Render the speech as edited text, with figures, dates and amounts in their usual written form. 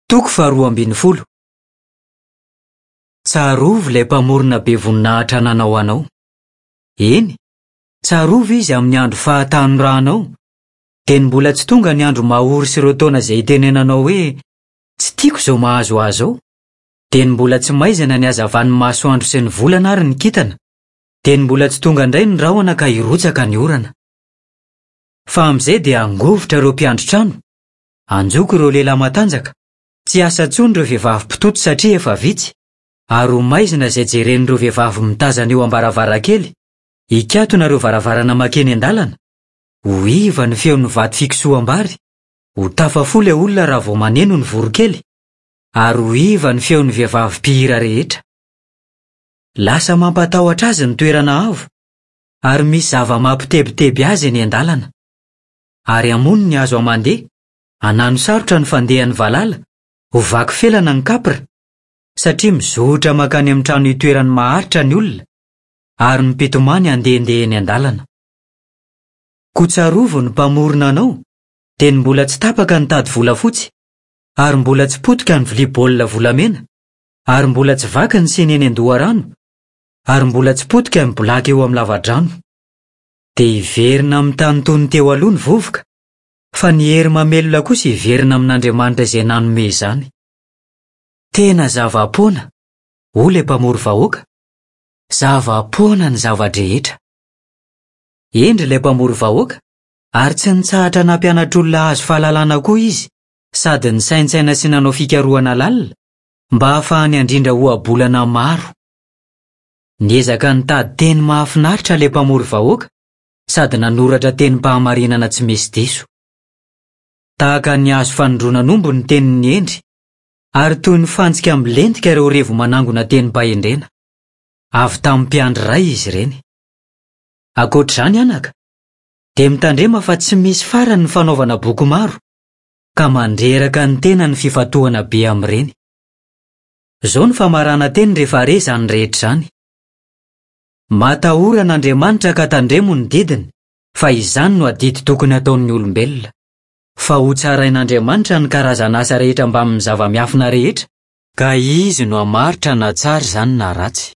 Toko faharoa ambin'ny folo. Tsarovy ilay Mpamorona be voninahitra nanao anao. Eny, tsarovy Izy amin'ny andro fahatanoranao, dia ny mbola tsy tonga ny andro mahory sy ireo taona izay itenenanao hoe, Tsy tiako izao mahazo ahy izao. Dia ny mbola tsy maizina ny hazavan'ny masoandro sy ny volana ary ny kintana, dia ny mbola tsy tonga indray ny rahona ka hirotsaka ny orana. Fa amin'izay dia hangovitra ireo mpiandry trano, hanjoko ireo lehilahy matanjaka, tsy hiasa intsony ireo vehivavy mpitoto satria efa vitsy, ary ho maizina izay jeren'ireo vehivavy mitazana eo am-baravarankely, hikatona ireo varavarana mankeny an-dalana, ho iva ny feon'ny vato fikosoham-bary, ho tafafoha ilay olona raha vao maneno ny voronkely, ary ho iva ny feon'ny vehivavy mpihira rehetra. Lasa mampatahotra azy ny toerana avo, ary misy zava-mampitebiteby azy eny an-dalana. Ary hamono ny hazo aman-dia, hanano sarotra ny fandehan'ny valala, ho vaky felana ny kapra, satria mizotra mankany amin'ny trano itoerany maharitra ny olona, ary ny mpitomany handehandeha eny an-dalana. Koa tsarovy ny Mpamorona anao, dia ny mbola tsy tapaka ny tady volafotsy, ary mbola tsy potika ny vilia baolina volamena, ary mbola tsy vaky ny siny eny an-doharano, ary mbola tsy potika ny bolaky eo amin'ny lavadrano. Dia hiverina amin'ny tany toy ny teo aloha ny vovoka, fa ny hery mamelona kosa hiverina amin'Andriamanitra izay nanome izany. Tena zava-poana, hoy ilay mpamory vahoaka, zava-poana ny zava-drehetra. Hendry ilay mpamory vahoaka, ary tsy nitsahatra nampianatra olona hahazo fahalalana koa izy, sady nisaintsaina sy nanao fikarohana lalina, mba hahafahany handrindra ohabolana maro. Niezaka nitady teny mahafinaritra ilay mpamory vahoaka sady nanoratra tenim-pahamarinana tsy misy diso. Tahaka ny hazo fanindronan'omby ny tenin'ny hendry, ary toy ny fantsika milentika ireo revo manangona tenim-pahendrena. Avy tamin'ny mpiandry iray izy ireny. Ankoatra izany, anaka, dia mitandrema fa tsy misy farany ny fanaovana boky maro, ka mandreraka ny tena ny fifantohana be amin'ireny. Izao no famaranan-teny rehefa re izany rehetra izany. Matahora an'Andriamanitra ka tandremo ny didiny, fa izany no adidy tokony hataon'ny olombelona. Fa hotsarain'Andriamanitra ny karazan'asa rehetra mbamin'ny zava-miafina rehetra, ka Izy no hamaritra na tsara izany na ratsy.